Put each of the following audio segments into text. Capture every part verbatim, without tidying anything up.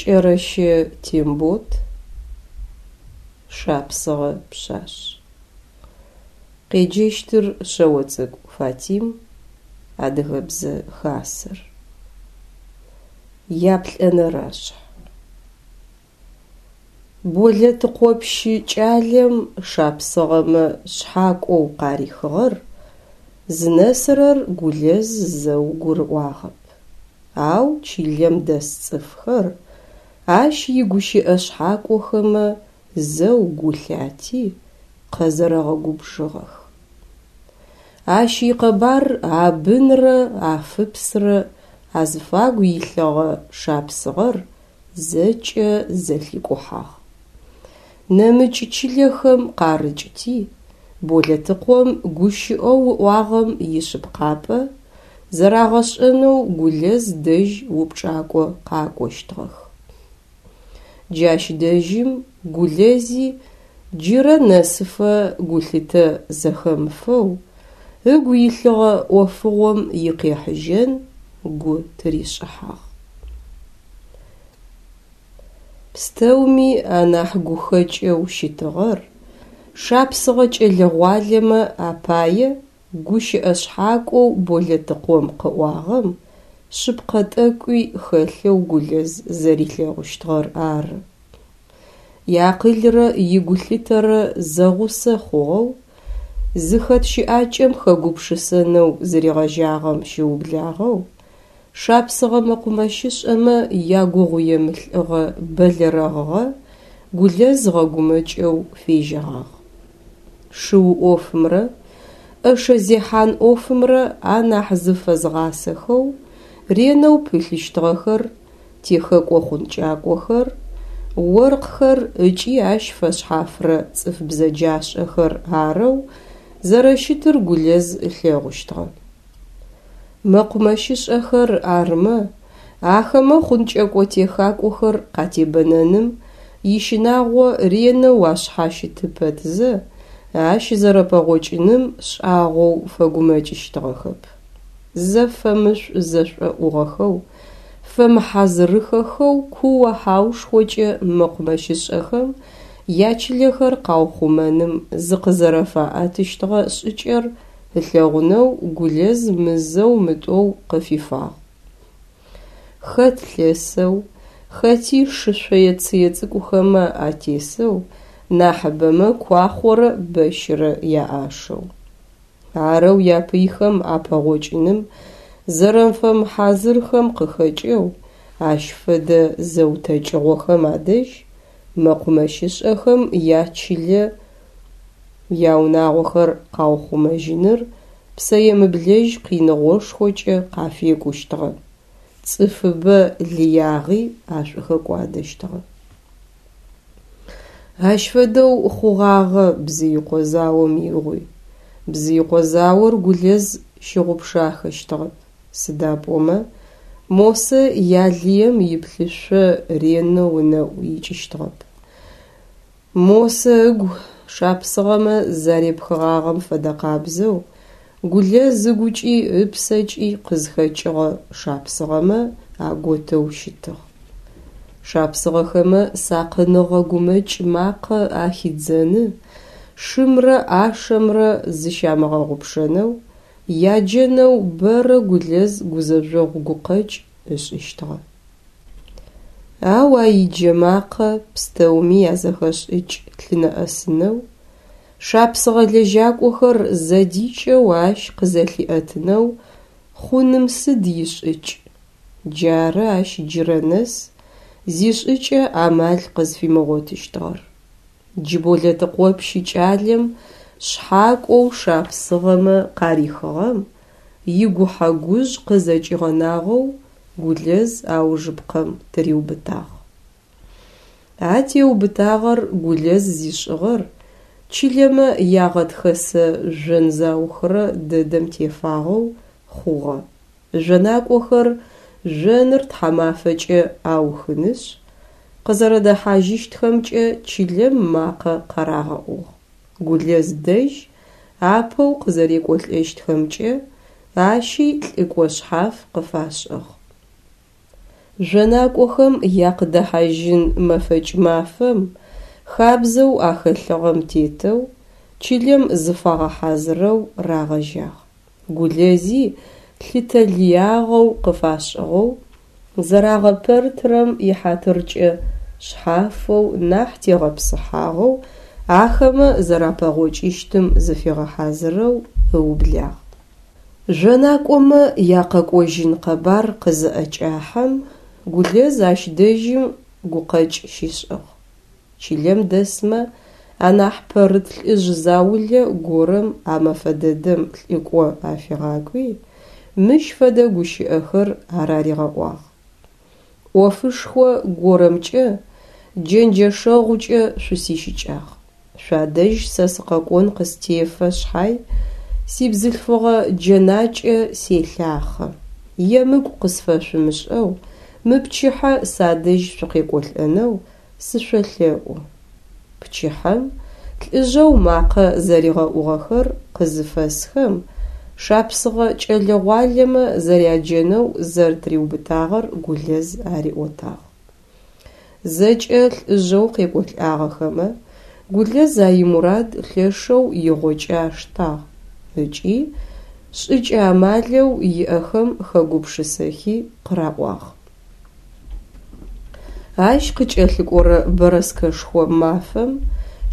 Кӏэрэщэ Тембот, Шапсыгъэ пшъашъ. Къеджэщтыр Шъэоцӏыкӏу Фатим, Адыгэбзэ Хасэр. Яплӏэнэрашъхь. Болэтыкъопщы кӏалэм шапсыгъэмэ шъхьакӏоу къарихыгъэр зынэсырэр Гулэз зэу гурыӏуагъэп. Ау чылэм дэс цӏыфхэр ащ игущыӏэ шъхьакӏохэмэ зэу гу лъати, къэзэрэгъэгубжыгъэх. Ащ икъэбар Абынрэ Афыпсрэ азыфагу илъыгъэ шапсыгъэр зэкӏэ зэлъикӏухьагъ. Нэмыкӏ чылэхэм къарыкӏти, Болэтыкъом гущыӏэу ыӏуагъэм ишъыпкъапӏэ зэрагъэшӏэнэу Гулэз дэжь упчӏакӏо къакӏощтыгъэх. Джащ дэжьым Гулэзи джырэ нэсыфэ гулъытэ зэхэмыфэу ыгу илъыгъэ ӏофыгъом икъехьыжьэн гу тыришӏыхьагъ. Пстэуми анахь гухэкӏэу щытыгъэр шапсыгъэ кӏэлэ-гъуалэмэ апае гущыӏэ шъхьакӏоу Болэтыкъом къыӏуагъэм шъыпкъэ тӏэкӏуи хэлъэу Гулэз зэрилъэгъущтыгъэр ары. Иакъылрэ игулъытэрэ зэгъусэ хъугъэу, зыхэт щыӏакӏэм хэгупшысэнэу зыригъэжьагъэм щыублагъэу шапсыгъэ мэкъумэщышӏэмэ ягугъуемылӏыгъэ бэлэрэгъыгъэ Гулэз гъэгумэкӏэу фежьэгъагъ. Шыу ӏофымрэ ӏэшэ зехьан ӏофымрэ анахь зыфэзгъасэхэу ренэу пылъыщтыгъэхэр техэкӏо-хъункӏакӏохэр, оркъхэр ыкӏи ащ фэшъхьафрэ цӏыф бзэджашӏэхэр арэу зэрэщытыр Гулэз ылъэгъущтыгъэ. Мэкъумэщышӏэхэр арымэ, ахэмэ хъункӏэкӏо-техакӏохэр къатебэнэным ищынагъо ренэу ашъхьащыты пэтзэ, ащ зэрэпэгъокӏыным шӏагъоу фэгумэкӏыщтыгъэхэп. Зэфэмышӏу-зэшӏоӏугъэхэу, фэмыхьазырыхэхэу куо-хьаушхокӏэ мэкъумэщышӏэхэм ячылэхэр къаухъумэным зыкъызэрэфаӏэтыщтыгъэ шӏыкӏэр ылъэгъунэу Гулэз мызэу-мытӏоу къыфифагъ. Хэт лъэсэу, хэти шы шъое-цые цӏыкӏухэмэ атесэу, нахьыбэмэ куахъорэ бэщырэ яӏашэу. Арэу япыйхэм апэгъокӏыным зэрэфэмыхьазырхэм къыхэкӏэу ащ фэдэ зэутэкӏыгъохэм адэжь мэкъумэщышӏэхэм ячылэ, яунагъохэр къаухъумэжьыныр псэемыблэжь къиныгъошхокӏэ къафекӏущтыгъэ, цӏыфыбэ лыягъи ашӏухэкӏуадэщтыгъэ. Ащ фэдэу хъугъагъэ Бзыикъо заом игъуи. Бзыикъо заор Гулэз щыгъупшахэщтыгъэп, сыда пӏомэ Мосэ ялыем иплъышъо ренэу ынэӏу икӏыщтыгъэп. Мосэ ыгу шапсыгъэмэ зарепхыгъагъэм фэдэкъабзэу Гулэз ыгукӏи ыпсэкӏи къызхэкӏыгъэ шапсыгъэмэ аготэу щытыгъ. Шапсыгъэхэмэ сакъыныгъэ гумэкӏ макъэ ахидзэны, шымрэ ӏашэмрэ зыщамыгъэгъупшэнэу яджэнэу бэрэ Гулэз гузэжъогъу гукъэкӏ ышӏыщтыгъэ. Ау а иджэмакъэ пстэуми язэхэшӏыкӏ лъынэӏэсынэу, шапсыгъэ лэжьакӏохэр зэдикӏэу ащ къызэлъиӏэтынэу хъуным сыд ишӏыкӏ? Джары ащ джырэ нэс зишӏыкӏэ амал къызфимыгъотыщтыгъэр. Джы Болэтыкъопщы кӏалэм шъхьакӏоу шапсыгъэмэ къарихыгъэм игухьэ-гужъ къызэкӏигъэнагъэу Гулэз аужыпкъэм тыриубытагъ. А теубытагъэр Гулэз зишӏыгъэр чылэмэ ягъэтхэсэ жъон заухырэ дэдэм тефагъэу хъугъэ. Жъонакӏохэр жъоныр тхьамафэкӏэ аухынышъ, къызэрэдэхьажьыщтхэмкӏэ чылэм макъэ къарагъэӏугъ. Гулэз дэжь апэу къызэрекӏолӏэщтхэмкӏэ ащи лӏыкӏо шъхьаф къыфашӏыгъ. Жъонакӏохэм якъыдэхьажьын мэфэкӏ мафэм, хабзэу ахэлъыгъэм тетэу, чылэм зыфагъэхьазырэу рагъэжьагъ. Гулэзи лъытэ лыягъэу къыфашӏыгъэу, зэрагъэпэртырэм ихьатыркӏэ шъхьафэу, нахь тегъэпсыхьагъэу ахэмэ зэрапэгъокӏыщтым зыфигъэхьазырэу ыублагъ. Жъонакӏомэ якъэкӏожьын къэбар къызыӏэкӏахьэм, Гулэз ащ дэжьым гукъэкӏ щишӏыгъ. Чылэм дэсмэ анахь пэрыт лӏыжъ заулэ горэм а мэфэ дэдэм лӏыкӏо афигъакӏуи, мыщ фэдэ гущыӏэхэр араригъэӏуагъ: «Ӏофышхо горэмкӏэ, джэнджэшэгъукӏэ шъусищыкӏагъ. Шъуадэжь сэ сыкъэкӏон къыстефэ шъхьай, сибзылъфыгъэ джэнакӏэ селъахъэ. Емыкӏу къысфэшъумышӏэу мы пчыхьэ садэжь шъукъекӏолӏэнэу сышъолъэӏу». Пчыхьэм лӏыжъэу макъэ зэригъэӏугъэхэр къызыфэсхэм, шапсыгъэ кӏэлэ-гъуалэмэ зэряджэнэу зэрэтыриубытагъэр Гулэз ариӏотагъ. Зэкӏэ лӏыжъэу къекӏолӏагъэхэмэ Гулэз а имурад лъэшэу игъокӏэ аштагъ ыкӏи шӏыкӏэ-амалэу иӏэхэм хэгупшысэхи къыраӏуагъ. Ащ къыкӏэлъыкӏорэ бэрэскэшхо мафэм,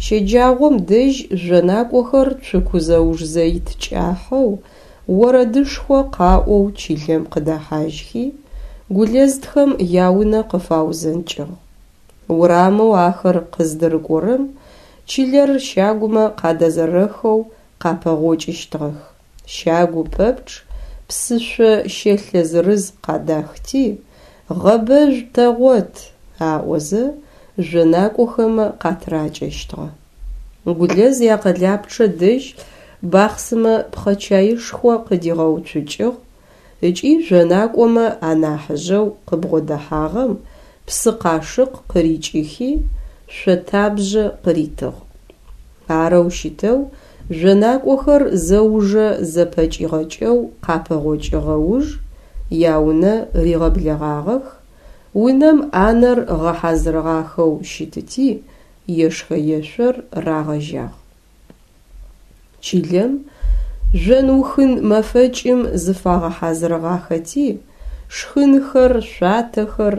щэджагъом дэжь жъонакӏохэр цуку зэуж-зэит кӏахьэу, орэдышхо къаӏоу чылэм къыдэхьажьхи, Гулэзтхэм яунэ къыфаузэнкӏыгъ. Урамэу ахэр къыздырыкӏорэм чылэр щагумэ къадэзэрэхэу къапэгъокӏыщтыгъэх. Щагу пэпчъ псышъо щэлъэ зырыз къадахти, «Гъэбэжъу тэгъот» аӏозэ жъонакӏохэмэ къатыракӏэщтыгъэ. Гулэз якъэлапчъэ дэжь бахъсымэ пхъэчаишхо къыдигъэуцукӏыгъ ыкӏи жъонакӏомэ анахьыжъэу къыбгъодэхьагъэм псы къашыкъ къырикӏыхи, шъотабжъэ къыритыгъ. Арэу щытэу жъонакӏохэр зэужэ зэпэкӏигъэкӏэу къапэгъокӏыгъэ уж яунэ ригъэблэгъагъэх, унэм ӏанэр гъэхьазырыгъахэу щытыти, ешхэ-ешъор рагъэжьагъ. Чылэм жъон-ухын мэфэкӏым зыфагъэхьазырыгъахэти, шхынхэр, шъуатэхэр,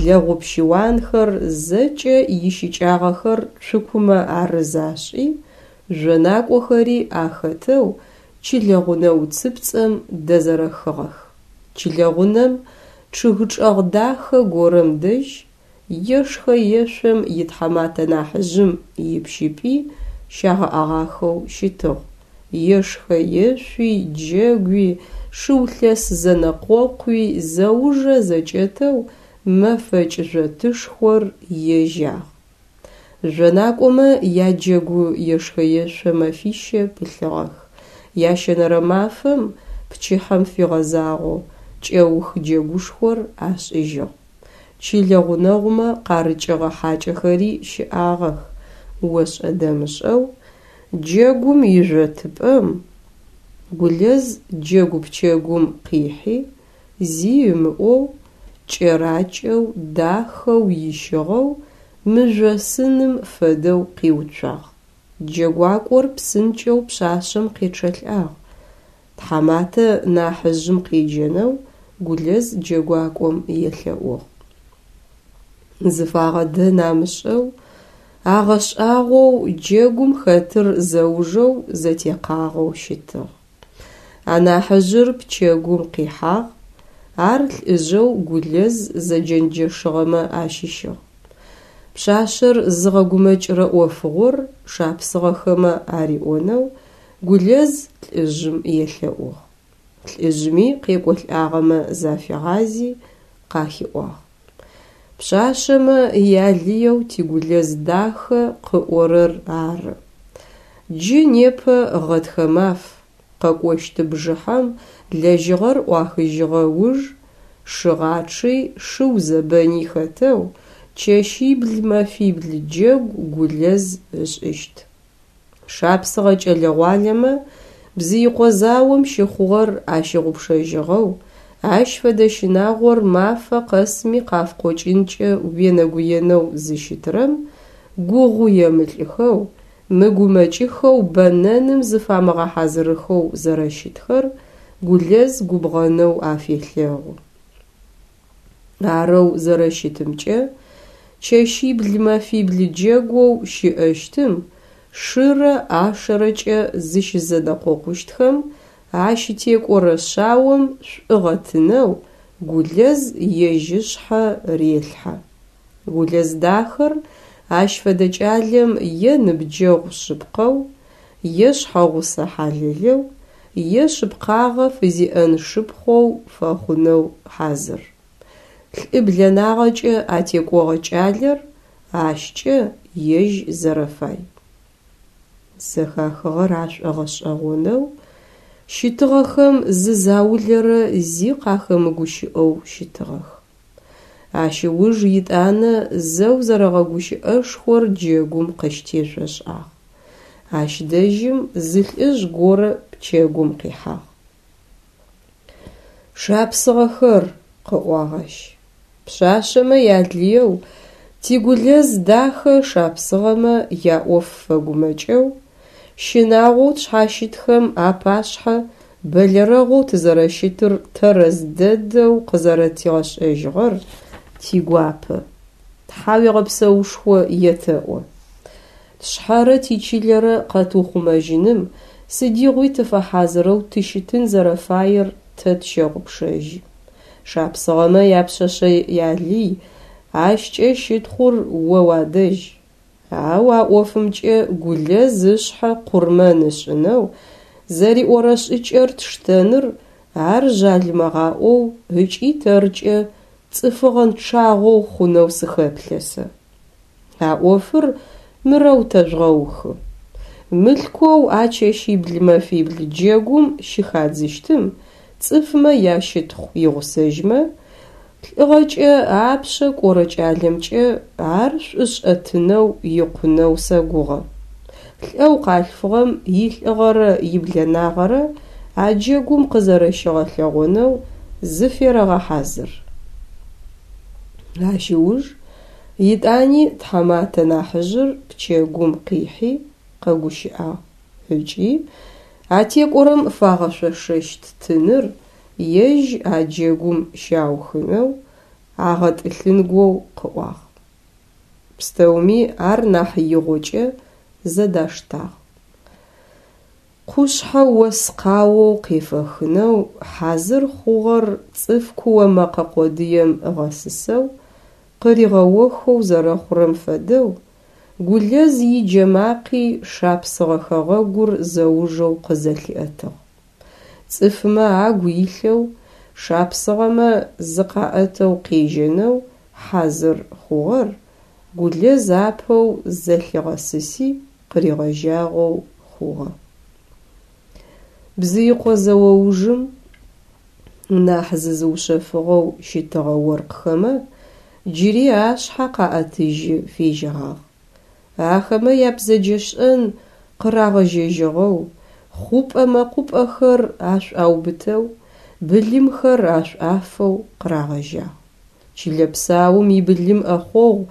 лэгъуп-щыуанхэр зэкӏэ ищыкӏагъэхэр цукумэ арыз ашӏи, жъонакӏохэри ахэтэу чылэгъунэ уцыпцӏэм дэзэрэхыгъэх. Чылэгъунэм чъыг чӏэгъ дахэ горэм дэжь ешхэ-ешъом итхьаматэ нахьыжъым ипщыпӏи щагъэӏагъахэу щытыгъ. Ешхэ-ешъуи, джэгуи, шыу-лъэс зэнэкъокъуи зэужэ зэкӏэтэу мэфэкӏ жъотышхор ежьагъ. Жъонакӏомэ яджэгу ешхэ-ешъо мэфищэ пылъыгъэх. Ящэнэрэ мафэм, пчыхьэм фигъэзагъэу, кӏэух джэгушхор ашӏыжьыгъ. Чылэ гъунэгъумэ къарыкӏыгъэ хьакӏэхэри щыӏагъэх. Ошӏэ-дэмышӏэу джэгум ижъотыпӏэм Гулэз джэгу пчэгум къихьи, зи ымыӏоу, кӏэракӏэу, дахэу ищыгъэу мыжъосыным фэдэу къиуцуагъ. Джэгуакӏор псынкӏэу пшъашъэм къечъэлӏагъ. Тхьаматэ нахьыжъым къеджэнэу Гулэз джэгуакӏом елъэӏугъ. Зыфагъэдэн амышӏэу, агъэшӏагъоу джэгум хэтыр зэужэу зэтекъагъэу щытыгъ. Анахьыжъыр пчэгум къихьагъ, ар лӏыжъэу Гулэз зэджэнджэшыгъэмэ ащыщыгъ. Пшъашъэр зыгъэгумэкӏырэ ӏофыгъор шапсыгъэхэмэ ариӏонэу Гулэз лӏыжъым елъэӏугъ. Лӏыжъми къекӏолӏагъэмэ зафигъази къахиӏуагъ: «Пшъашъэмэ ялыеу ти Гулэз дахэ къыӏорэр ары. Джы непэ гъэтхэ маф, къэкӏощт бжыхьэм лэжьыгъэр ӏуахыжьыгъэ уж шыгъачъи шыу зэбэни хэтэу чэщибл-мэфибл джэгу Гулэз ышӏыщт. Шапсыгъэ кӏэлэ-гъуалэмэ Бзыикъо заом щыхъугъэр ащыгъупшэжьыгъэу, Ащ фэдэ щынагъор мафэ къэсми къафкъокӏынкӏэ уенэгуенэу зыщытырэм гугъу емылӏыхэу, мыгумэкӏыхэу бэнэным зыфамыгъэхьазырыхэу зэрэщытхэр Гулэз губгъэнэу афелъэгъу. Арэу зэрэщытымкӏэ, чэщибл-мэфибл джэгоу щыӏэщтым шырэ ӏашэрэкӏэ зыщызэнэкъокъущтхэм ащытекӏорэ шъаом шӏугъэ тынэу Гулэз ежь ышъхьэ релъхьэ. Гулэз дахэр ащ фэдэ кӏалэм е ныбджэгъу шъыпкъэу, е шъхьэгъусэ хьалэлэу, е шъыпкъагъэ фызиӏэн шыпхъоу фэхъунэу хьазыр. Лӏыблэнагъэкӏэ атекӏогъэ кӏалэр ащкӏэ ежь зэрэфай. Зэхахыгъэр ашӏогъэшӏэгъонэу щытыгъэхэм зы заулэрэ зи къахэмыгущыӏэу щытыгъэх. Ащ ыуж етӏанэ зэу зэрэгъэгущыӏэшхор джэгум къыщытешъошӏагъ. Ащ дэжьым зы лӏыжъ горэ пчэгум къихьагъ. Шапсыгъэхэр, къыӏуагъ ащ, пшъашъэмэ ялыеу ти Гулэз дахэ шапсыгъэмэ яӏоф фэгумэкӏэу, щынагъоу тшъхьащытхэм апашъхьэ бэлэрэгъоу тызэрэщытыр тэрэз дэдэу къызэрэтигъэшӏэжьыгъэр тигуапэ, тхьауегъэпсэушхо етэӏо. Тшъхьэрэ тичылэрэ къэтыухъумэжьыным сыдигъуи тыфэхьазырэу тыщытын зэрэфаер тэ тщэгъупшэжьы. Шапсыгъэмэ япшъэшъэ ялый, ащкӏэ щытхъур о уадэжь. Ау а ӏофымкӏэ Гулэз ышъхьэ къурмэн ышӏынэу зэриӏорэ шӏыкӏэр тштэныр ар жъалымэгъаӏоу ыкӏи тэркӏэ цӏыфыгъэнчъагъэу хъунэу сыхэплъэ сэ. А ӏофыр мырэу тэжъугъэухы. Мылъкоу а чэщибл-мэфибл джэгум щыхадзыщтым цӏыфмэ ящытхъу игъусэжьмэ, лӏыгъэкӏэ апшъэ кӏорэ кӏалэмкӏэ ар шӏушӏэ тынэу икъунэу сэгугъэ. Лӏэу къалъфыгъэм илӏыгъэрэ иблэнагъэрэ а джэгум къызэрэщигъэлъэгъонэу зыферэгъэхьазыр. Ащ ыуж етӏани тхьаматэ нахьыжъыр пчэгум къихьи къэгущыӏагъ ыкӏи атекӏорэм фагъэшъошэщт тыныр ежь а джэгум щаухынэу, агъэтӏылъынгоу къыӏуагъ. Пстэуми ар нахь игъокӏэ зэдаштагъ. Къушъхьэ ос къаоу къефэхынэу хьазыр хъугъэр цӏыф куо мэкъэ къодыем ыгъэсысэу, къыригъэохэу зэрэхъурэм фэдэу, Гулэз иджэмакъи шапсыгъэ хэгъэгур зэужэу къызэлъиӏэтыгъ. Цӏыфмэ агу илъэу, шапсыгъэмэ зыкъаӏэтэу къежьэнэу хьазыр хъугъэр Гулэз апэу зэлъигъэсыси къыригъэжьагъэу хъугъэ. Бзыикъо зэо ужым нахь зызыушъэфыгъэу щытыгъэ оркъхэмэ джыри ашъхьэ къаӏэтыжьы фежьэгъагъ. Ахэмэ ябзэджэшӏэн къырагъэжьэжьыгъэу, хъупӏэ-мэкъупӏэхэр ашӏуаубытэу, былымхэр ашӏуафэу къырагъэжьагъ. Чылэ псаум ибылым ӏэхъогъу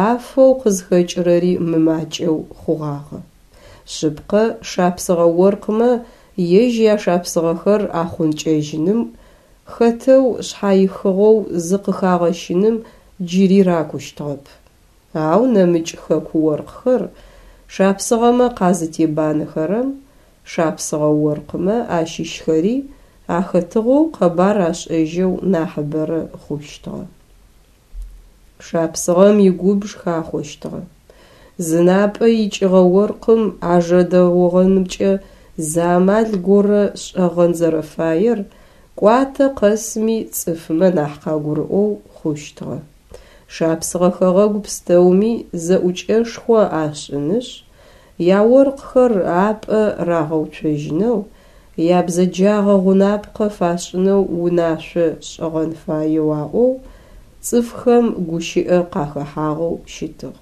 афэу къызхэкӏырэри мымакӏэу хъугъагъэ. Шъыпкъэ, шапсыгъэ оркъмэ ежь яшапсыгъэхэр ахъункӏэжьыным хэтэу шъхьаихыгъэу зыкъыхагъэщыным джыри ракущтыгъэп. Ау нэмыкӏ хэку оркъхэр шапсыгъэмэ къазытебанэхэрэм, шапсыгъэ оркъмэ ащыщхэри ахэтыгъэу къэбар ашӏэжьэу нахьыбэрэ хъущтыгъэ. Шапсыгъэм игубж хахъощтыгъэ. Зынапӏэ икӏыгъэ оркъым ажэдэогъэнымкӏэ зы амал горэ шӏэгъэн зэрэфаер кӏуатэ къэсми цӏыфмэ нахь къагурыӏоу хъущтыгъэ. Шапсыгъэ хэгъэгу пстэуми зэӏукӏэшхо ашӏынышъ, яоркъхэр апӏэ рагъэуцожьынэу, ябзэджагъэ гъунапкъэ фашӏынэу унашъо шӏыгъэн фаеу аӏоу цӏыфхэм гущыӏэ къахэхьагъэу щытыгъ.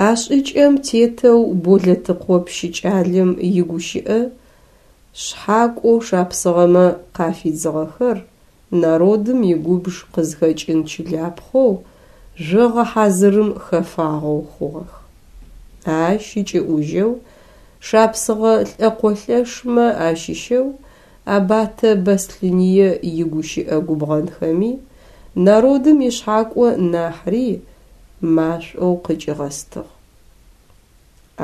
А шӏыкӏэм тетэу Болэтыкъо пщы кӏалэм игущыӏэ шъхьакӏоу шапсыгъэмэ къафидзыгъэхэр народым игубж къызхэкӏын чылапхъэу жъогъэ хьазырым хэфагъэу хъугъэх. Ащ ыкӏыӏужьэу шапсыгъэ лӏэкъолъэшмэ ащыщэу Абатэ Бэслъыные игущыӏэ губгъэнхэми народым ишъхьакӏо нахьри машӏоу къыкӏигъэстыгъ.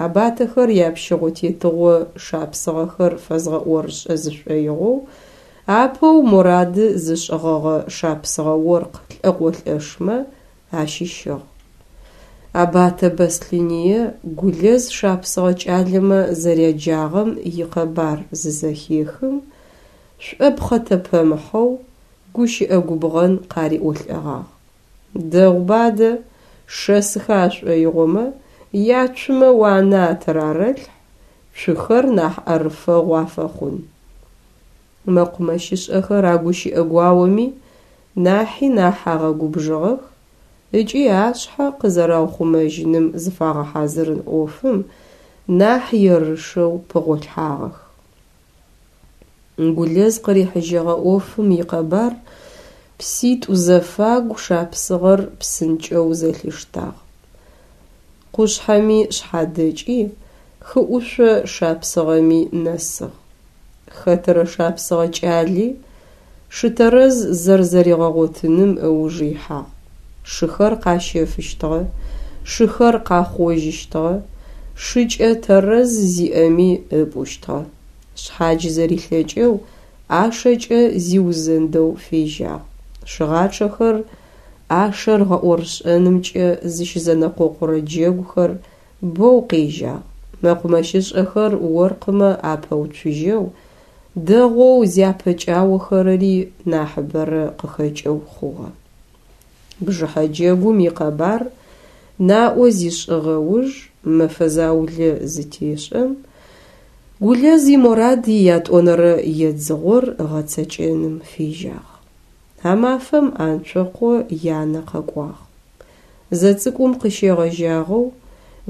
Абатэхэр япщыгъо-тетыгъо шапсыгъэхэр фэзгъэӏорышӏэ зышӏоигъоу апэу морады зышӏыгъэгъэ шапсыгъэ оркъ лӏэкъолъэшмэ ащыщыгъ. Абатэ Бэслъыные Гулэз шапсыгъэ кӏалэмэ зэряджагъэм икъэбар зызэхехым, шӏопхъэтэпэмыхьэу гущыӏэ губгъэн къариӏолӏэгъагъ: «Дэгъуба адэ, шэсыхэ ашӏоигъомэ, яцумэ уанэ атырарэлъхь, цухэр нахь ӏэрыфэгъу афэхъун». Мэкъумэщышӏэхэр а гущыӏэ гуаоми нахьи нахь агъэгубжыгъэх ыкӏи ашъхьэ къызэраухъумэжьыным зыфагъэхьазырын ӏофым нахь ерышэу пыгъолъхьагъэх. Гулэз къырихьыжьэгъэ ӏофым икъэбар пситӏу зэфагу шапсыгъэр псынкӏэу зэлъиштагъ. Къушъхьэми шъхьадэкӏи, хыӏушъо шапсыгъэми нэсыгъ. Хэтырэ шапсыгъэ кӏали шы тэрэз зэрэзэригъэгъотыным ыуж ихьагъ. Шыхэр къащэфыщтыгъэ, шыхэр къахъожьыщтыгъэ, шыкӏэ тэрэз зиӏэми ыпӏущтыгъэ. Шъхьадж зэрилъэкӏэу ӏашэкӏэ зиузэндэу фежьагъ. Шыгъачъэхэр ӏашэр гъэӏорышӏэнымкӏэ зыщызэнэкъокъурэ джэгухэр бэу къежьагъ. Мэкъумэщышӏэхэр оркъымэ апэуцужьэу, дэгъоу зяпэкӏаохэрэри нахьыбэрэ къыхэкӏэу хъугъэ. Бжыхьэ джэгум икъэбар наӏо зишӏыгъэ уж мэфэ заулэ зытешӏэм, Гулэз иморад иятӏонэрэ едзыгъор ыгъэцэкӏэным фежьагъ. А мафэм Анцокъо янэ къэкӏуагъ. Зэцӏыкӏум къыщегъэжьагъэу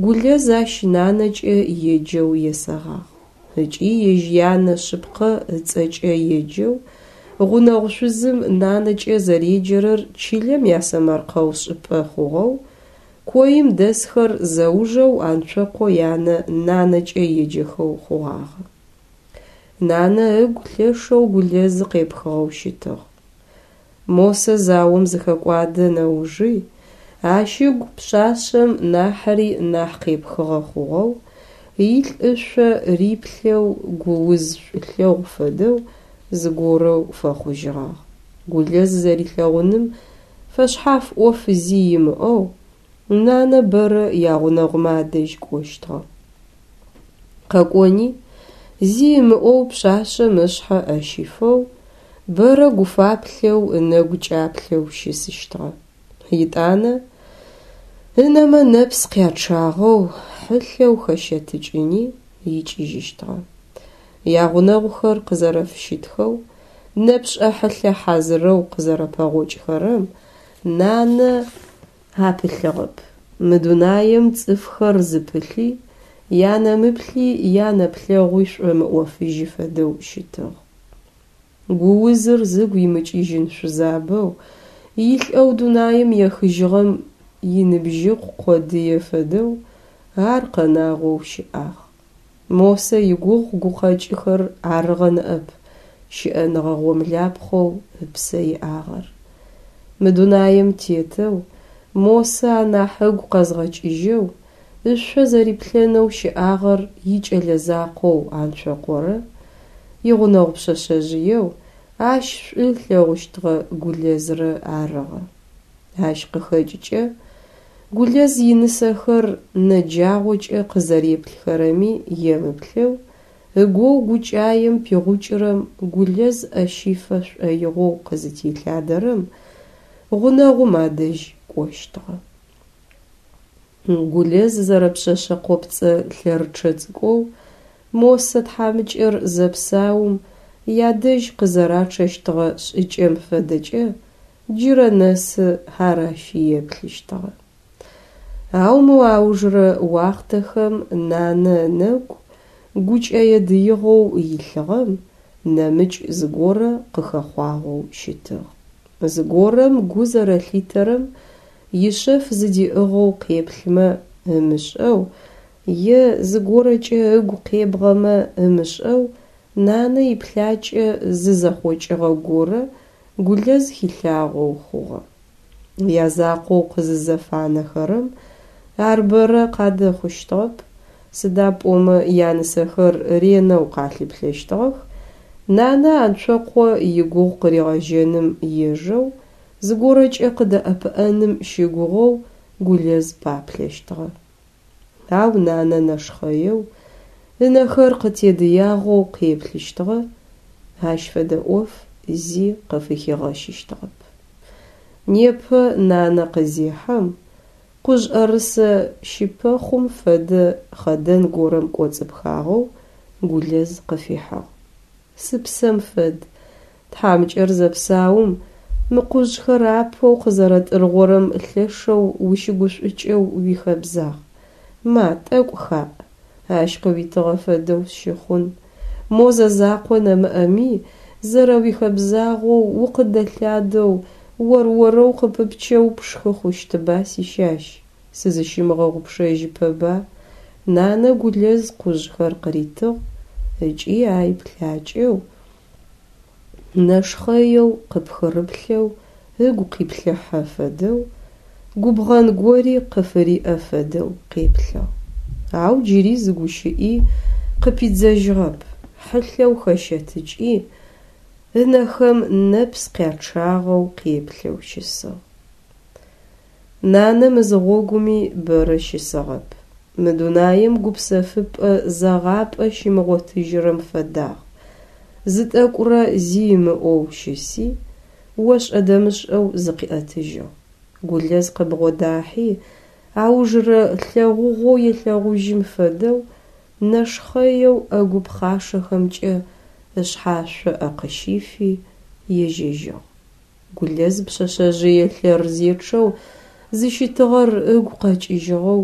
Гулэз ащ нанэкӏэ еджэу есэгъагъ. Ыкӏи ежь янэ шъыпкъэ ыцӏэкӏэ еджэу, гъунэгъу шъузым нанэкӏэ зэреджэрэр чылэм ясэмэркъэу шӏыпӏэ хъугъэу, коим дэсхэр зэужэу Анцокъо янэ нанэкӏэ еджэхэу хъугъагъэ. Нанэ ыгу лъэшэу Гулэзы къепхыгъэу щытыгъ. Мосэ заом зыхэкӏуадэ нэужи, ащ ыгу пшъашъэм нахьри нахь къепхыгъэ хъугъэу, илӏ ышъо риплъэу гууз шӏулъэгъу фэдэу зыгорэу фэхъужьыгъагъ. Гулэз зэрилъэгъуным фэшъхьаф ӏоф зи имыӏэу, нанэ бэрэ ягъунэгъумэ адэжь кӏощтыгъэ. Къэкӏони, зи ымыӏоу пшъашъэм ышъхьэ ӏэ щифэу, бэрэ гуфаплъэу ынэгу кӏаплъэу щысыщтыгъэ. Етӏанэ ынэмэ нэпс къячъагъэу, хьылъэу хэщэтыкӏыни икӏыжьыщтыгъэ. Ягъунэгъухэр къызэрэфыщытхэу, нэпшӏэ хьылъэ хьазырэу къызэрэпэгъокӏхэрэм нанэ апылъыгъэп. Мы дунаем цӏыфхэр зыпылъи, янэмыплъи янэплъэгъуи шӏомыӏофыжьы фэдэу щытыгъ. Гуузыр зыгу имыкӏыжьын шъузабэу, илӏэу дунаем ехыжьыгъэм иныбжьыкъу къодые фэдэу ар къэнагъэу щыӏагъ. Мосэ игугъу гукъэкӏыхэр арыгъэ ныӏэп щыӏэныгъэ гъомлапхъэу ыпсэ иӏагъэр. Мы дунаем тетэу Мосэ анахь ыгу къэзгъэкӏыжьэу, ышъо зэриплъэнэу щыӏагъэр икӏэлэ закъоу Анцокъорэ игъунэгъу пшъэшъэжъыеу ащ шӏу ылъэгъущтыгъэ Гулэзрэ арыгъэ. Ащ къыхэкӏыкӏэ Гулэз инысэхэр нэджагъокӏэ къызэреплъхэрэми емыплъэу, ыгоу гукӏаем пигъукӏырэм Гулэз ӏэ щифэ шӏоигъоу къызытелъадэрэм, гъунэгъум адэжь кӏощтыгъэ. Гулэз зэрэпшъэшъэ къопцӏэ лъэрычъэ цӏыкӏоу Мосэ тхьамыкӏэр зэпсаум ядэжь къызэрачъэщтыгъэ шӏыкӏэм фэдэкӏэ джырэ нэсы ар ащ еплъыщтыгъэ. Ау мы аужырэ уахътэхэм нанэ ынэгу гукӏэе дыигъэу илъыгъэм нэмыкӏ зыгорэ къыхэхъуагъэу щытыгъ. Зыгорэм гу зэрэлъитэрэм ишъэф зыдиӏыгъэу къеплъымэ ымышӏэу е зыгорэкӏэ ыгу къебгъэмэ ымышӏэу нанэ иплъакӏэ зы зэхъокӏыгъэ горэ Гулэз хилъагъоу хъугъэ. Язакъоу къызызэфанэхэрэм ар бэрэ къадэхъущтыгъэп, сыда пӏомэ янысэхэр ренэу къалъыплъэщтыгъэх, нанэ Анцокъо игугъу къыригъэжьэным ежэу, зыгорэкӏэ къыдэӏэпыӏэным щыгугъэу Гулэз паплъэщтыгъэ. Ау нанэ нэшхъэеу, ынэхэр къытедыягъэу къеплъыщтыгъэ, ащ фэдэ ӏоф зи къыфыхигъэщыщтыгъэп. Непэ нанэ къызехьэм, къужъӏэрысэ щыпэхъум фэдэ хъэдэн горэм кӏоцӏыпхагъэу Гулэз къыфихьыгъ. Сыпсэм фэд, тхьамыкӏэр зэпсаум мы къужъхэр апэу къызэрэтӏыргъорэм лъэшэу ущыгушӏукӏэу уихэбзагъ. Ма, тӏэкӏу хаӏ, ащ къыуитыгъэ фэдэу сщыхъун. Мо зэзакъо нэмыӏэми, зэрэуихэбзагъэу укъыдэлъадэу, ор-орэу къыпыпчэу пшхы хъущтыба, сищащ, сызыщымыгъэгъупшэжьыпэба, нанэ Гулэз къужъхэр къыритыгъ ыкӏи ай плъакӏэу, нэшхъэеу къыпхырыплъэу ыгу къиплъыхьэ фэдэу, губгъэн гори къыфыриӏэ фэдэу къеплъыгъ. Ау джыри зы гущыӏи къыпидзэжьыгъэп, хьылъэу хэщэтыкӏи, ынэхэм нэпс къячъагъэу къеплъэу щысыгъ. Нанэ мызыгъогуми бэрэ щысыгъэп. Мы дунаим гупсэфыпӏэ зэгъапӏэ щимыгъотыжьырэм фэдагъ. Зы тӏэкӏурэ зи ымыӏоу щыси, ошӏэ-дэмышӏэу зыкъиӏэтыжьыгъ. Гулэз къыбгъодахьи, аужырэ лъэгъугъоу елъэгъужьым фэдэу, нэшхъэеу ӏэгу пхъашэхэмкӏэ ышъхьашъо ӏэ къыщифи, ежьэжьыгъ. Гулэз пшъэшъэжъые лъэрзечъэу зыщытыгъэр ыгу къэкӏыжьыгъэу,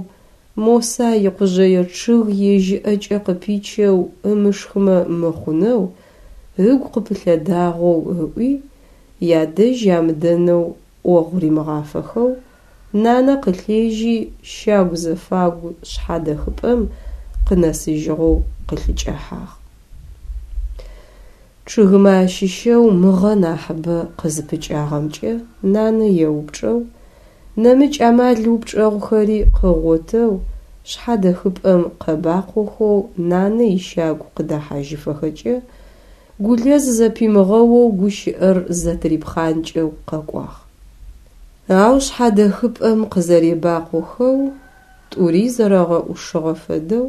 Моса икъужъэе чъыг ежь ыӏэкӏэ къыпичэу ымышхымэ мыхъунэу ыгу къыпылъэдагъэу ыӏуи, ядэжь амыдэнэу ӏогъу римыгъафэхэу, нанэ къылъежьи щагу зэфагу шъхьадэхыпӏэм къынэсыжьыгъэу къылъыкӏэхьагъ. Чъыгымэ ащыщэу мыгъэ нахьыбэ къызыпыкӏагъэмкӏэ нанэ еупчӏэу, нэмыкӏ амал упчӏэгъухэри къыгъотэу шъхьадэхыпӏэм къэбакъохэу нанэ ищагу къыдэхьажьыфэхэкӏэ Гулэз зэпимыгъэоу гущыӏэр зэтырипхъанкӏэу къэкӏуагъ. Ау шъхьадэхыпӏэм къызэребакъохэу тӏури зэрэгъэӏушыгъэ фэдэу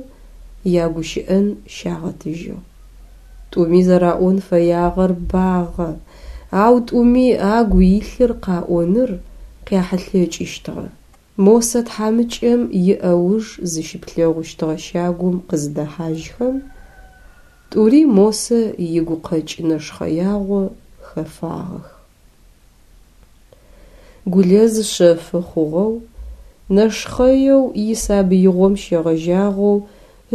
ягущыӏэн щагъэтыжьыгъ. Тӏуми зэраӏон фэягъэр багъэ, ау тӏуми агу илъыр къаӏоныр къяхьылъэкӏыщтыгъэ. Мосэ тхьамыкӏэм иӏэуж зыщыплъэгъущтыгъэ щагум къызыдэхьажьхэм, тӏури Мосэ игукъэкӏ нэшхъэягъо хэфагъэх. Гулэз шъэфы хъугъэу, нэшхъэеу исабыигъом щегъэжьагъэу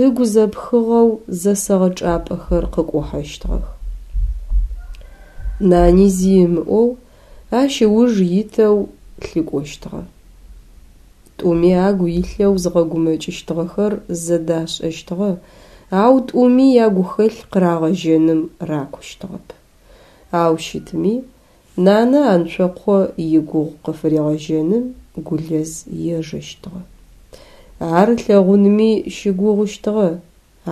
ыгу зэпхыгъэу зэсэгъэ чӏапӏэхэр къыкӏухьэщтыгъэх. Нани зи ымыӏоу ащ ыуж итэу лъыкӏощтыгъэ. Тӏуми агу илъэу зыгъэгумэкӏыщтыгъэхэр зэдашӏэщтыгъэ, ау тӏуми ягухэлъ къырагъэжьэным ракущтыгъэп. Ау щытми, нанэ Анцокъо игугъу къыфыригъэжьэным Гулэз ежэщтыгъэ. Ар ылъэгъунми щыгугъыщтыгъэ,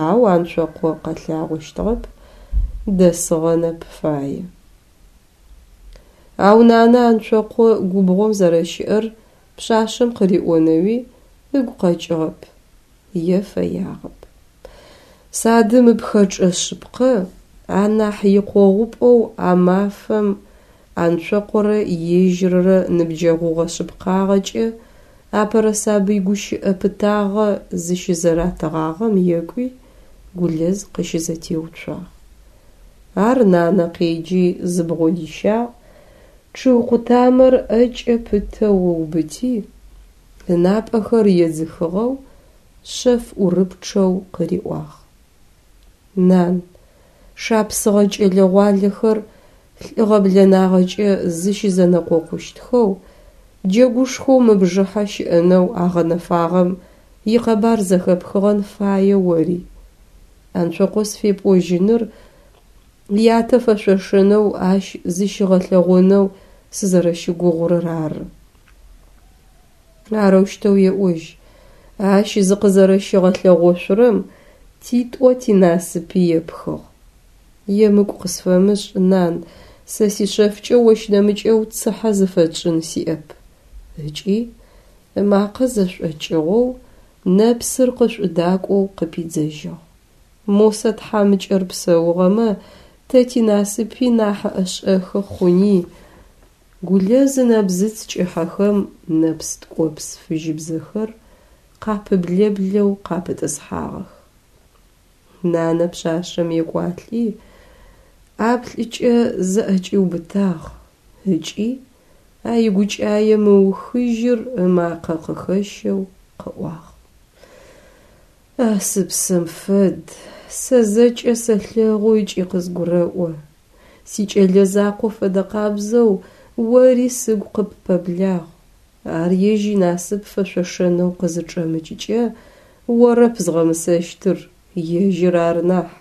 ау Анцокъо къэлъагъощтыгъэп, дэсыгъэнэп фае. Ау нанэ Анцокъо губгъом зэрэщыӏэр пшъашъэм къыриӏонэуи ыгу къэкӏыгъэп, е фэягъэп. Садым ыпхэчӏэ шъыпкъэ анахь икъогъупӏэу а мафэм Анцокъорэ ежьыррэ ныбджэгъугъэ шъыпкъагъэкӏэ апэрэ сабый гущыӏэ пытагъэ зыщызэратыгъагъэм екӏуи Гулэз къыщызэтеуцуагъ. Ар нанэ къеджи зыбгъодищагъ, чъыг къутамэр ӏэкӏэ пытэу ыубыти, ынапӏэхэр едзыхыгъэу, шъэф ӏурыпчъэу къыриӏуагъ. Нан, Шапсыгъэ кӏэлэ-гъуалэхэр лӏыгъэ-блэнагъэкӏэ зыщызэнэкъокъущтхэу джэгушхоу мыбжыхьэ щыӏэнэу агъэнэфагъэм икъэбар зэхэпхыгъэн фае ори. Анцокъо сфепӏожьыныр ятэ фэшъошэнэу ащ зыщигъэлъэгъонэу сызэрэщыгугъурэр ары. Арэущтэу еӏожь, ащ зыкъызэрэщигъэлъэгъошъурэм титӏо тинасыпи епхыгъ. Емыкӏу къысфэмышӏ, нан, сэ сишъэфкӏэ ощ нэмыкӏэу цыхьэ зыфэтшӏын сиӏэп. Ыкӏи ымакъэ зэшӏокӏыгъэу, нэпсыр къышӏудакӏоу къыпидзэжьыгъ. Мосэ тхьамыкӏэр псэугъэмэ, тэ тинасыпи нахь ӏэшӏэхы хъуни. Гулэз ынэбзыц кӏыхьэхэм нэпс ткӏопс фыжьыбзэхэр къапыблэблэу къапытӏысхьагъэх. Нанэ пшъашъэм екӏуалӏи, ӏаплӏыкӏэ зыӏэкӏиубытагъ ыкӏи а игукӏае мыухыжьыр ымакъэ къыхэщэу къыӏуагъ. А сыпсэм фэд, сэ зэкӏэ сэлъэгъу ыкӏи къызгурэӏо. Сикӏэлэ закъо фэдэкъабзэу ори сыгу къыппэблагъ. Ар ежь инасып фэшъошэнэу къызычӏэмыкӏыкӏэ, орэп згъэмысэщтыр, ежьыр ары нахь.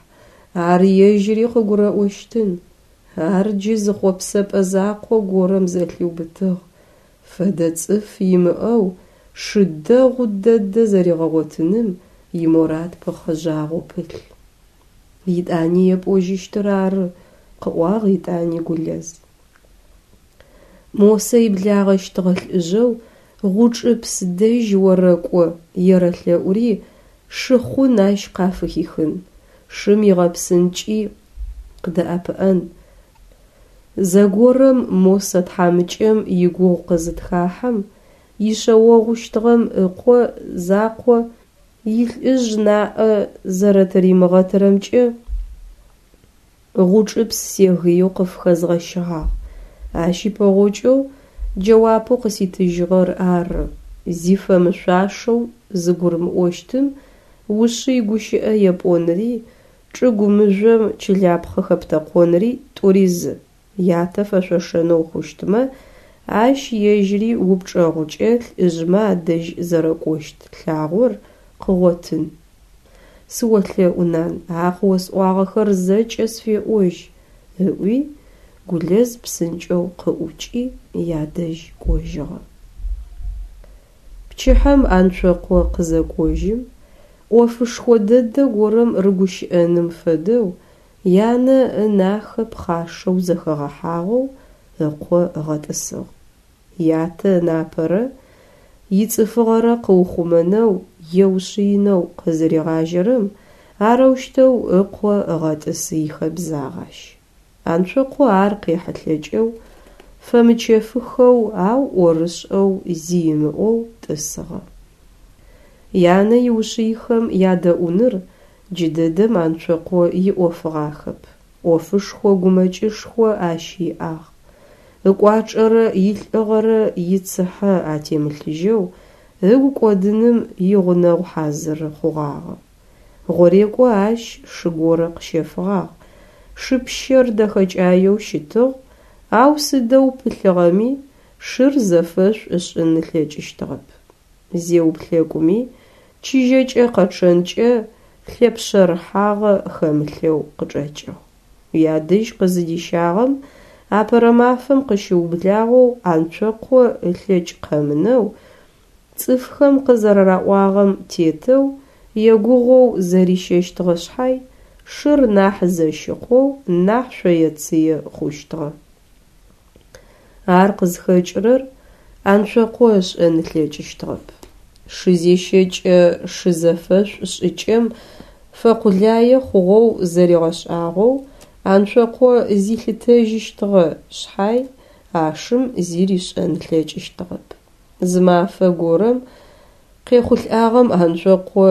Ар ежьыри къыгурэӏощтын. Ар джы зы хъопсэпӏэ закъо горэм зэлъиубытыгъ, фэдэ цӏыф имыӏэу шы дэгъу дэдэ зэригъэгъотыным иморад пыхъыжьагъэу пылъ. Етӏани епӏожьыщтыр ары, къыӏуагъ етӏани Гулэз. Мосэ иблагъэщтыгъэ лӏыжъэу Гъучӏыпс дэжь орэкӏо ерэлъэӏури шыхъун ащ къафыхихын, шым игъэпсынкӏи къыдэӏэпыӏэн. Зэгорэм Мосэ тхьамыкӏэм игугъу къызытхахьэм, ишъэогъущтыгъэм ыкъо закъо илӏыжъ наӏэ зэрэтыримыгъэтырэмкӏэ Гъучӏыпс сегыеу къыфыхэзгъэщыгъагъ. Ащ ипэгъокӏэу джэуапэу къыситыжьыгъэр ары: зи фэмышъуашэу зыгурымыӏощтым ушъый гущыӏэ епӏонри, чӏыгу мыжъом чылапхъэ хэптэкъонри тӏури зы. Ятэ фэшъошэнэу хъущтмэ, ащ ежьыри упчӏэгъукӏэ лӏыжъмэ адэжь зэрэкӏощт лъагъор къыгъотын. Сыолъэӏу, нан, а къыосӏуагъэхэр зэкӏэ сфеӏожь, ыӏуи, Гулэз псынкӏэу къыӏукӏи ядэжь кӏожьыгъэ. Пчыхьэм Анцокъо къызэкӏожьым, ӏофышхо дэдэ горэм рыгущыӏэным фэдэу янэ ынахэ пхъашэу зэхэгъэхьагъэу ыкъо ыгъэтӏысыгъ. Ятэ ынапэрэ ицӏыфыгъэрэ къыухъумэнэу еушъыинэу къызыригъажьэрэм арэущтэу ыкъо ыгъэтӏысы ихэбзагъ ащ. Анцокъо ар къехьылъэкӏэу, фэмычэфыхэу, ау ӏорышӏэу зи ымыӏоу тӏысыгъэ. Янэ иушъыихэм ядэӏуныр джыдэдэм Анцокъо иӏофыгъахэп. ӏофышхо гумэкӏышхо ащ иӏагъ. Ыкӏуачӏэрэ илӏыгъэрэ ицыхьэ атемылъыжьэу ыгу кӏодыным игъунэгъу хьазыры хъугъагъэ. Гъорекӏо ащ шы горэ къыщэфыгъагъ. Шы пщэр дэхэкӏаеу щытыгъ, ау сыдэу пылъыгъэми шыр зэфэшӏу ышӏын ылъэкӏыщтыгъэп. Зеуплъэкӏуми, чыжьэкӏэ къэчъэнкӏэ лъэпшъэрыхьагъэ хэмылъэу къычӏэкӏыгъ. Ядэжь къызыдищагъэм апэрэ мафэм къыщыублагъэу Анцокъо ылъэкӏ къэмынэу, цӏыфхэм къызэраӏуагъэм тетэу, егугъоу зэрищэщтыгъэ шъхьай, шыр нахь зэщыкъоу, нахь шъоецые хъущтыгъэ. Ар къызхэкӏырэр Анцокъо ышӏэн ылъэкӏыщтыгъэп. Шы зещэкӏэ шы зэфэшӏу шӏыкӏэм фэкъулае хъугъэу зэригъэшӏагъэу Анцокъо зилъытэжьыщтыгъэ шъхьай, а шым зи ришӏэн ылъэкӏыщтыгъэп. Зы мафэ горэм къехъулӏагъэм Анцокъо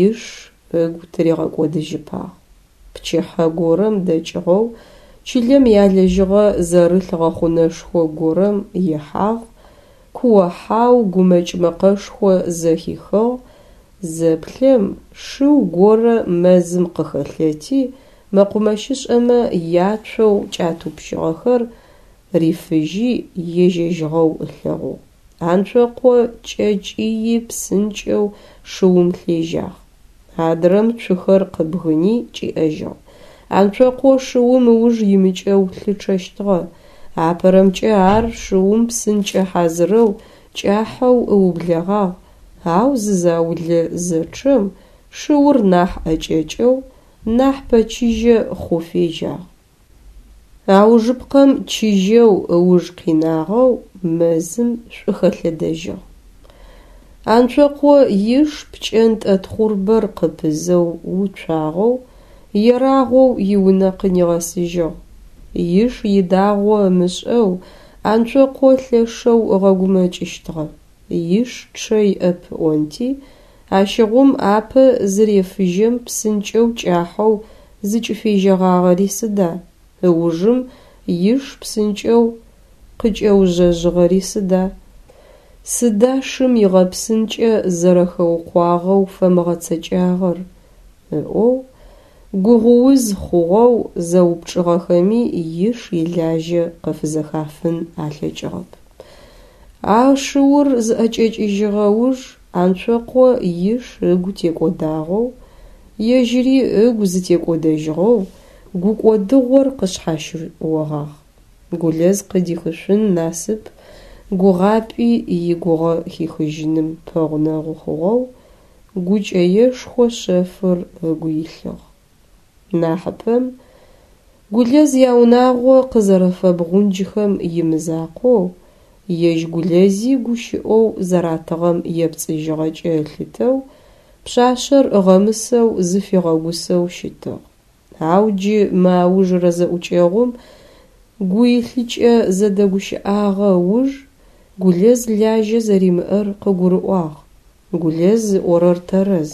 иш ыгу тыригъэкӏодыжьыпагъ. Пчыхьэ горэм дэкӏыгъэу чылэм ялэжьыгъэ зэрылъ гъэхъунэшхо горэм ихьагъ, куо-хьау гумэкӏ мэкъэшхо зэхихыгъ, зэплъэм, шыу горэ мэзым къыхэлъэти, Мэкъумэщышӏэмэ яцоу кӏатӏупщыгъэхэр рифыжьи ежьэжьыгъэу ылъэгъугъ. Анцокъо кӏэкӏыи псынкӏэу шыум лъежьагъ. Адрэм цухэр къыбгыни кӏиӏэжьыгъ. Анцокъо шыум ыуж имыкӏэу лъычъэщтыгъэ. Апэрэмкӏэ ар шыум псынкӏэ хьазырэу кӏахьэу ыублэгъагъ, ау зы заулэ зэчъэм шыур нахь ӏэкӏэкӏэу, нахь пэчыжьэ хъу фежьагъ. Аужыпкъэм чыжьэу ыуж къинагъэу мэзым шӏухэлъэдэжьыгъ. Анцокъо иш пкӏэнтӏэ тхъурбэр къыпызэу уцуагъэу, ерагъоу иунэ къынигъэсыжьыгъ. Иш идагъо ымышӏэу Анцокъо лъэшэу ыгъэгумэкӏыщтыгъэ. Иш чъэ иӏэп ыӏонти, ащыгъум апэ зырефыжьэм псынкӏэу кӏахьэу зыкӏыфежьэгъагъэри сыда, ыужым иш псынкӏэу къыкӏэужъэжъыгъэри сыда? Сыда шым игъэпсынкӏэ зэрэхэукъуагъэу фэмыгъэцэкӏагъэр? Ыӏоу, гугъууз хъугъэу зэупчӏыгъэхэми иш илажьэ къыфызэхафын алъэкӏыгъэп. А шыур зыӏэкӏэкӏыжьыгъэ уж Анцокъо иш ыгу текӏодагъэу, ежьыри ыгу зытекӏодэжьыгъэу гукӏодыгъор къышъхьащыогъагъ. Гулэз къыдихышъун насып гугъапӏи игугъэ хихыжьыным пэгъунэгъу хъугъэу гукӏэешхо шъэфыр ыгу илъыгъ. Нахьыпэм Гулэз яунагъо къызэрэфэбгъунджхэм имызакъоу, ежь Гулэзи гущыӏэу зэратыгъэм епцӏыжьыгъэкӏэ ылъытэу, пшъашъэр ыгъэмысэу зыфигъэгусэу щытыгъ. Ау джы мы аужырэ зэӏукӏэгъум гуилъыкӏэ зэдэгущыӏагъэ ыуж Гулэз лажьэ зэримыӏэр къыгурыӏуагъ. Гулэз ыӏорэр тэрэз,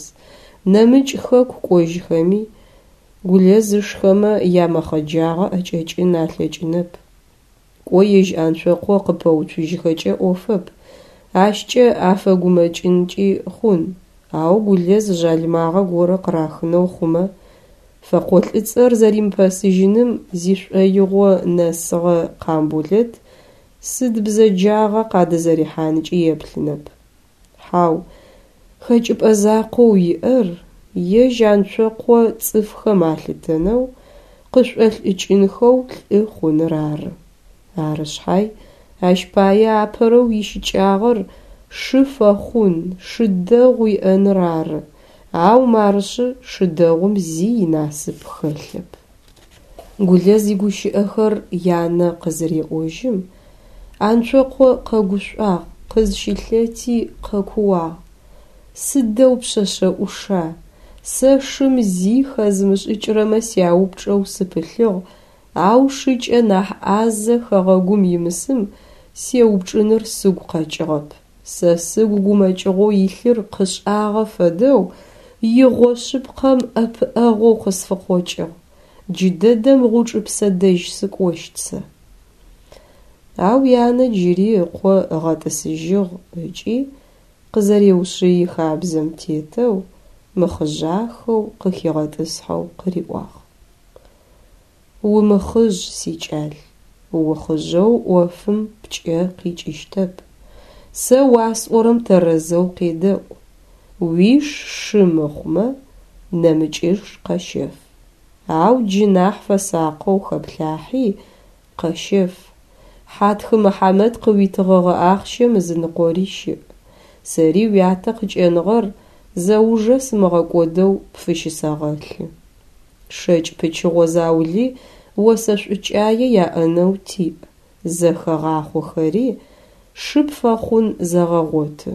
нэмыкӏ хэку кӏожьхэми, Гулэз ышхэмэ ямэхъэджагъэ ӏэкӏэкӏын алъэкӏынэп. Кӏо ежь Анцокъо къыпэуцужьхэкӏэ ӏофэп, ащкӏэ афэгумэкӏынкӏи хъун, ау Гулэз жъалымагъэ горэ къырахынэу хъумэ, фэкъолӏыцӏэр зэримыпэсыжьыным зишӏоигъо нэсыгъэ Къамболэт сыд бзэджагъэ къадызэрихьанкӏи еплъынэп. Хьау, хэкӏыпӏэ закъоу иӏэр ежь Анцокъо цӏыфхэм алъытэнэу, къышӏолӏыкӏынхэу лӏы хъуныр ары. Ары шъхьай, ащ пае апэрэу ищыкӏагъэр шы фэхъун, шы дэгъу иӏэныр ары, ау марышъы шы дэгъум зи инасып хэлъэп. Гулэз игущыӏэхэр янэ къызыреӏожьым, Анцокъо къэгушӏуагъ, къызщылъэти къэкууагъ: «Сыдэу пшъэшъэ ӏуша! Сэ шым зи хэзымышӏыкӏырэмэ сяупчӏэу сыпылъыгъ, ау шыкӏэ нахь ӏазэ хэгъэгум имысым сеупчӏыныр сыгу къэкӏыгъэп. Сэ сыгу гумэкӏыгъоу илъыр къышӏагъэ фэдэу игъо шъыпкъэм ӏэпыӏэгъоу къысфыкъокӏыгъ. Джыдэдэм Гъучӏыпсэ дэжь сыкӏощт сэ». Ау янэ джыри ыкъо ыгъэтӏысыжьыгъ ыкӏи къызэреушъыи хабзэм тетэу, мыхъыжъахэу къыхигъэтӏысхьэу къыриӏуагъ: «Умыхъыжъ, сикӏал, ухъыжъэу ӏофым пкӏэ къикӏыщтэп. Сэ уасӏорэм тэрэзэу къедэӏу. Уиш шы мыхъумэ, нэмыкӏыш къэщэф. Ау джы нахь фэсакъэу хэплъахьи къэщэф. Хьатхы Мыхьамэт къыуитыгъэгъэ ахъщэм ызыныкъори щыӏ. Сэри уятэ къыкӏэныгъэр зэужэ сымыгъэкӏодэу пфыщысэгъэлъы. Шэкӏ пычыгъо заули осэ шӏукӏае яӏэнэу тиӏ, зэхэгъахъохэри шы пфэхъун зэгъэгъоты.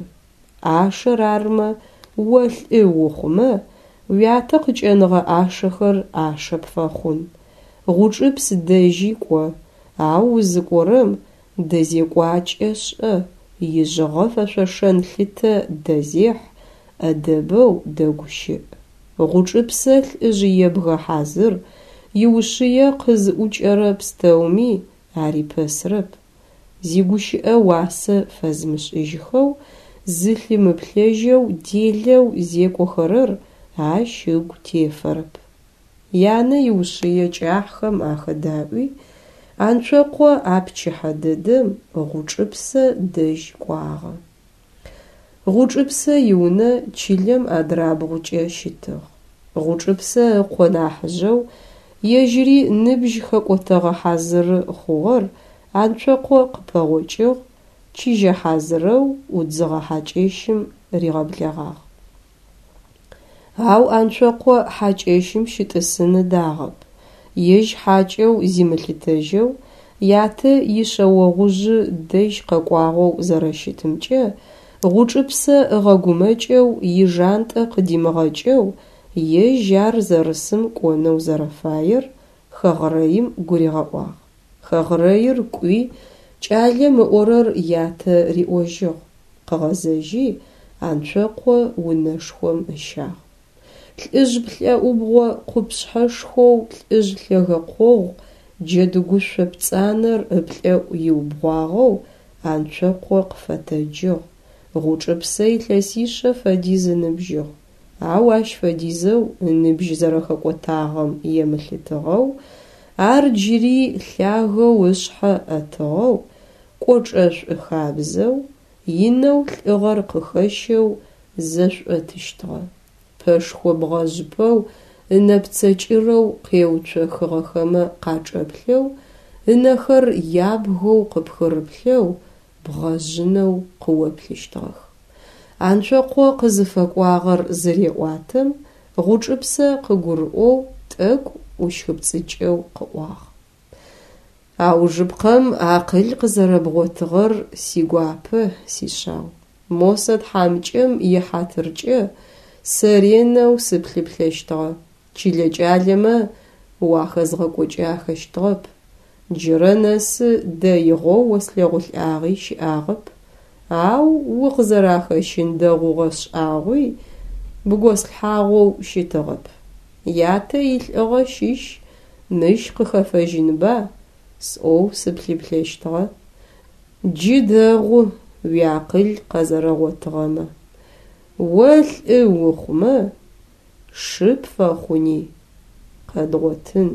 Ӏашэр армэ, о лӏы ухъумэ, уятэ къыкӏэныгъэ ӏашэхэр ӏашэ пфэхъун. Гъучӏыпс дэжьи кӏо, ау узыкӏорэм дэзекӏуакӏэ шӏэ, ижъыгъэ фэшъошэн лъытэ дэзехь, ӏэдэбэу дэгущыӏ. Гъучӏыпсэ лӏыжъ ебгэ хьазыр, иушъые къызыӏукӏэрэ пстэуми арипэсырэп. Зигущыӏэ уасэ фэзымышӏыжьхэу, зылъымыплъэжьэу делэу зекӏохэрэр ащ ыгу тефэрэп. Янэ иушъые кӏахьхэм ахэдаӏуи, Анцокъо а пчыхьэ дэдэм Гъучӏыпсэ дэжь кӏуагъэ. Гъучӏыпсэ иунэ чылэм адрабгъукӏэ щытыгъ. Гъучӏыпсэ ыкъо нахьыжъэу, ежьыри ныбжь хэкӏотэгъэ хьазыры хъугъэр Анцокъо къыпэгъокӏыгъ, чыжьэ хьазырэу ӏудзыгъэ хьакӏэщым ригъэблэгъагъ. Ау Анцокъо хьакӏэщым щытӏысын ыдагъэп, ежь хьакӏэу зимылъытэжьэу, ятэ ишъэогъужъы дэжь къэкӏуагъэу зэрэщытымкӏэ Гъучӏыпсэ ыгъэгумэкӏэу ижантӏэ къыдимыгъэкӏэу ежь ар зэрысым кӏонэу зэрэфаер хэгърэим гуригъэӏуагъ. Хэгърэир кӏуи, кӏалэм ыӏорэр ятэ риӏожьыгъ, къыгъэзэжьи Анцокъо унэшхом ыщагъ. Лӏыжъ плӏэӏубгъо къупшъхьэшхоу лӏыжъ лъэгэ къогъу джэдыгушъо пцӏанэр ыплӏэӏу иубгъуагъэу Анцокъо къыфэтэджыгъ. Гъучӏыпсэ илъэсишъэ фэдиз ыныбжьыгъ, ау ащ фэдизэу ыныбжь зэрэхэкӏотагъэм емылъытыгъэу, ар джыри лъагэу ышъхьэ ӏэтыгъэу, кӏочӏэшӏу хабзэу, инэу лӏыгъэр къыхэщэу зэшӏотыщтыгъэ. Пэшхо бгъэжъпэу ынэпцэ кӏырэу къеуцохыгъэхэмэ къачӏэплъэу, ынэхэр ябгэу къыпхырыплъэу, бгъэжъынэу къыоплъыщтыгъэх. Анцокъо къызыфэкӏуагъэр зыреӏуатэм, Гъучӏыпсэ къыгурыӏоу тӏэкӏу ӏущхыпцӏыкӏэу къыӏуагъ. Аужыпкъэм акъыл къызэрэбгъотыгъэр сигуапэ, сишъау. Мосэ тхьамыкӏэм ихьатыркӏэ сэ ренэу сыплъыплъэщтыгъэ, чылэ кӏалэмэ уахэзгъэкӏокӏахэщтыгъэп. Джырэ нэсы дэигъэу ослъэгъулӏагъи щыӏагъэп, ау укъызэрахэщын дэгъугъэ шӏагъуи бгослъхьагъоу щытыгъэп. Ятэ илӏыгъэ щыщ мыщ къыхэфэжьынба сӏоу сыплъыплъэщтыгъэ. Джы дэгъу уиакъыл къэзэрэгъотыгъэмэ. О лӏы ухъумэ, шы пфэхъуни къэдгъотын.